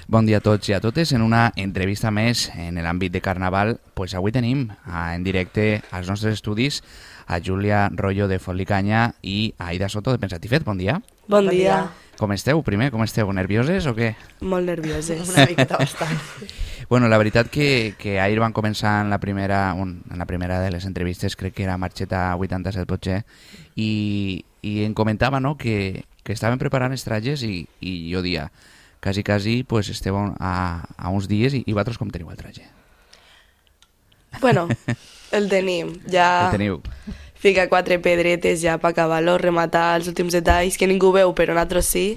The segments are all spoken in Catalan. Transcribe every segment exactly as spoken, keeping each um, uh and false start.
Bon dia a tots i a totes. En una entrevista més en l'àmbit de Carnaval, pues avui tenim en directe als nostres estudis a Júlia Royo de Fotlicanya i a Aida Soto de Pensatifet. Bon dia. Bon, bon dia. dia. Com esteu, primer? Com esteu? Nervioses o què? Molt nervioses. Una miqueta bastant. Bueno, la veritat que, que ahir van començar en la primera un, en la primera de les entrevistes, crec que era Marxeta vuitanta-set potser, i, i em comentava, no?, que, que estaven preparant els trajes i, i jo dia, quasi, quasi, pues esteu a, a uns dies i, i vosaltres com teniu el traje? Bueno, el tenim. Ja el teniu. Fica quatre pedretes ja per acabar-lo, rematar els últims detalls, que ningú veu, però nosaltres sí.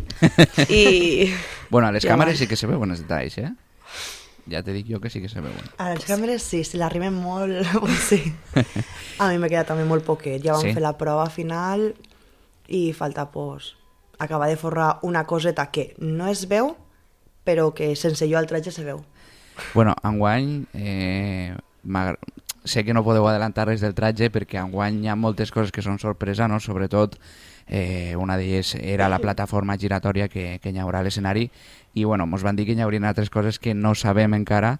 I... Bueno, a les ja càmeres va. sí que se veuen els detalls, eh? Ja te dic jo que sí que se veuen. A les càmeres sí, si l'arriben molt, pues sí. A mi m'ha quedat també molt poquet. Ja vam Sí? fer la prova final i falta, pues, acabar de forrar una coseta que no es veu, però que sense jo el traje se veu. Bueno, enguany eh, m'agra- sé que no podeu adelantar res del traje perquè enguany hi ha moltes coses que són sorpresa, no? Sobretot eh, una d'elles era la plataforma giratòria que, que hi haurà a l'escenari i bueno, mos van dir que hi haurien altres coses que no sabem encara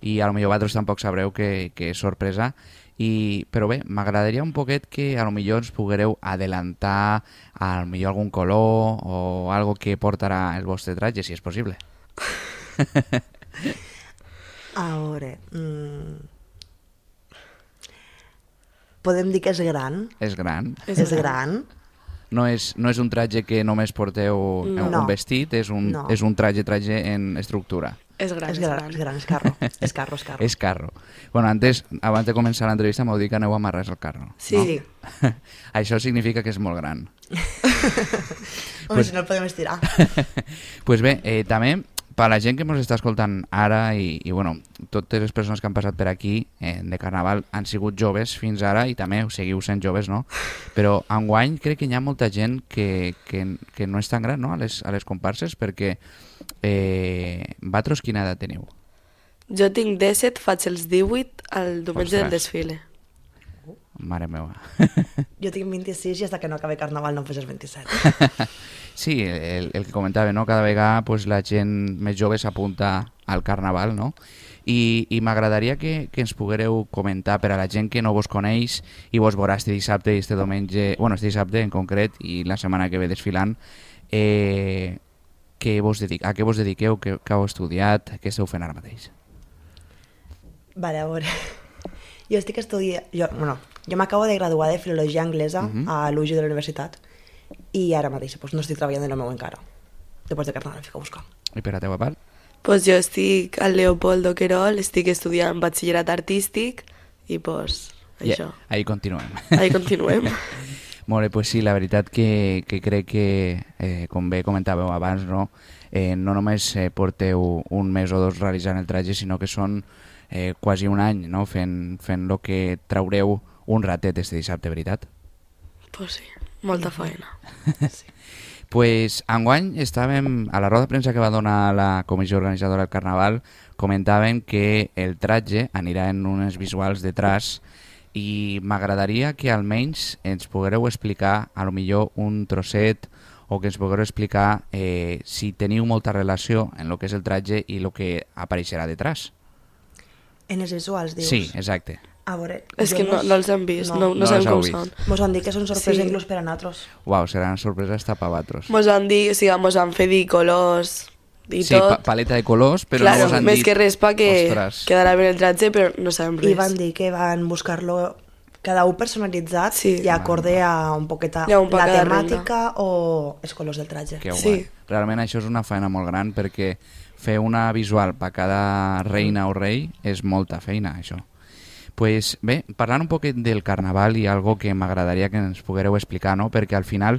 i a lo millor vosaltres tampoc sabreu que, que és sorpresa. I, però bé, m'agradaria un poquet que a lo millor ens poguereu adelantar a lo millor algun color o algo que portarà el vostre traje, si és possible. A veure... Mm... Podem dir que és gran? És gran. És És gran. No és, no és un traje que només porteu No. un vestit, és un, No. és un traje traje en estructura. És gran, És gran, és gran, és carro. És carro, és carro. És carro. Bueno, antes, abans de començar l'entrevista m'heu dit que aneu a amarrar el carro. Sí. No? Això significa que és molt gran. Home, Pues- si no el podem estirar. Pues bé, eh, també, per la gent que ens està escoltant ara i, i bueno, totes les persones que han passat per aquí eh, de Carnaval han sigut joves fins ara i també ho seguiu sent joves, no? Però enguany crec que hi ha molta gent que, que, que no és tan gran, no?, a les, a les comparses perquè eh, vosaltres quina edat teniu? Jo tinc disset, faig els divuit al diumenge Ostres. del desfile. Mare meva. Jo tinc vint-i-sis i fins que no acabi Carnaval no em fes els vint-i-set. Sí, el, el que comentava, no? Cada vegada pues, la gent més jove s'apunta al Carnaval, no? I, i m'agradaria que, que ens poguereu comentar per a la gent que no vos coneix i vos veurà este dissabte i este diumenge, bueno, este dissabte en concret i la setmana que ve desfilant, eh, que vos dedic, a què vos dediqueu, què, què heu estudiat, què esteu fent ara mateix? Vale, a veure... Jo estic estudiant... Jo, bueno, jo m'acabo de graduar de Filologia Anglesa Mhm. a l'U G de la universitat i ara mateix pues, no estic treballant en el meu encara. Després de Carnaval em fico a buscar. I per a teva part? Pues jo estic al Leopoldo Querol, estic estudiant batxillerat artístic i pues això. Yeah, ahí continuem. Ahí continuem. Molt bé, pues sí, la veritat que, que crec que, eh, com bé comentàveu abans, no, eh, no només eh, porteu un mes o dos realitzant el traje, sinó que són eh, quasi un any, no?, fent, fent lo que traureu un ratet este dissabte, veritat? Pues sí, molta feina. Pues enguany estàvem, a la roda de premsa que va donar la comissió organitzadora del Carnaval, comentaven que el traje anirà en unes visuals de traç i m'agradaria que almenys ens poguereu explicar a lo millor un trosset o que ens poguereu explicar eh, si teniu molta relació en lo que és el traje i lo que apareixerà detrás. En els visuals, dius? Sí, exacte. A veure... És jo que no, mos- no els hem vist, no, no, No sabem els heu com vist. són. Mos han dit que són sorpresa Sí. inclús per a nosaltres. Uau, serà una sorpresa hasta pa vosaltres. Mos han dit, o sigui, mos han fet dir colors i Sí, tot. pa paleta de colors, però claro, no us han més dit... que res pa que Ostres. quedarà bé el traje, però no sabem res. I van dir que van buscar-lo cada un personalitzat Sí. i acorde a un poqueta I a un poc la cada temàtica o els colors del traje. Que guai. Sí. Realment això és una feina molt gran perquè fer una visual per cada reina o rei és molta feina, això. Pues bé, parlant un poquet del Carnaval i algo que m'agradaria que ens poguereu explicar, no? Perquè al final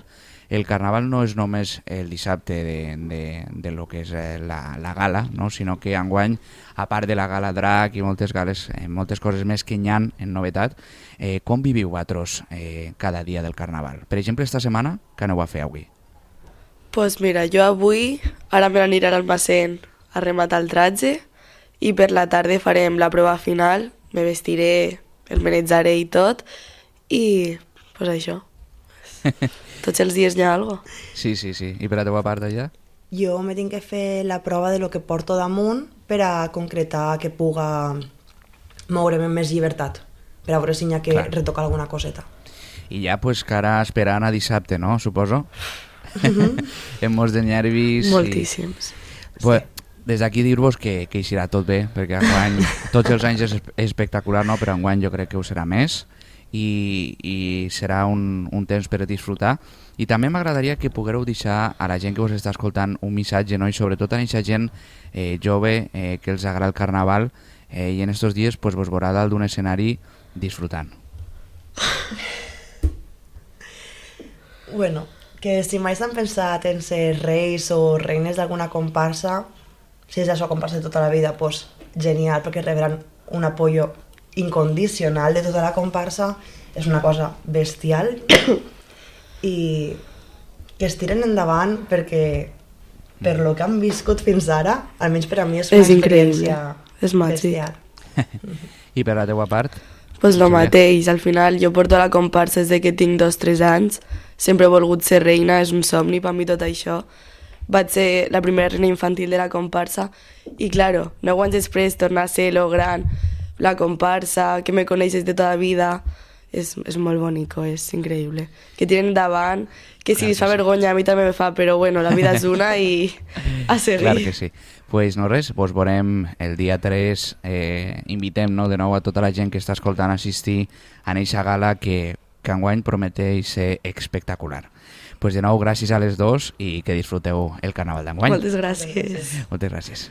el Carnaval no és només el dissabte de, de, de lo que és eh, la, la gala, no? Sinó que enguany, a part de la gala drac i moltes gales, eh, moltes coses més que hi ha en novetat, eh, com viviu vosaltres eh, cada dia del Carnaval? Per exemple, esta setmana, què aneu a fer avui? Pues mira, jo avui, ara me n'aniré al almacén a rematar el traje i per la tarda farem la prova final, me vestiré, el manejaré i tot i pues això. Tots els dies hi ha algo. Sí, sí, sí. I per a teva part allà? jo me tinc que fer la prova de lo que porto damunt per a concretar que puga moure'm amb més llibertat, per a veure si n'hi ha que Clar. retocar alguna coseta. I ja pues cara esperant a dissabte, no? Suposo. Amb molts de nervis. Moltíssims. I... Pues, des d'aquí dir-vos que, que hi serà tot bé, perquè enguany, tots els anys és espectacular, no? Però enguany jo crec que ho serà més i, i serà un, un temps per disfrutar. I també m'agradaria que poguéreu deixar a la gent que us està escoltant un missatge, no? I sobretot a aquesta gent eh, jove eh, que els agrada el carnaval eh, i en estos dies pues, vos veurà dalt d'un escenari disfrutant. Bueno, que si mai s'han pensat en ser reis o reines d'alguna comparsa, si és la seva comparsa de tota la vida, pues genial, perquè rebran un apoyo incondicional de tota la comparsa, és una cosa bestial i que es tiren endavant perquè per lo que han viscut fins ara, almenys per a mi és una És increïble, experiència és màgic. bestial. I per la teua part? Pues lo Sí. mateix, al final jo porto a la comparsa des de que tinc dos o tres anys, sempre he volgut ser reina, és un somni per mi tot això. Vaig ser la primera reina infantil de la comparsa i, claro, nou anys després tornar a ser lo gran, la comparsa, que me coneixes de tota la vida, és, és molt bonico, és increïble. Que tiren endavant, que si Clar li fa que sí. vergonya a mi també me fa, però bueno, la vida és una i a seguir. Clar que sí. Pues no res, vos veurem el dia tres, eh, invitem no, de nou a tota la gent que està escoltant a assistir a eixa gala que, que enguany prometeix ser espectacular. Pues de nou, gràcies a les dos i que disfruteu el carnaval d'enguany. Moltes gràcies. Moltes gràcies.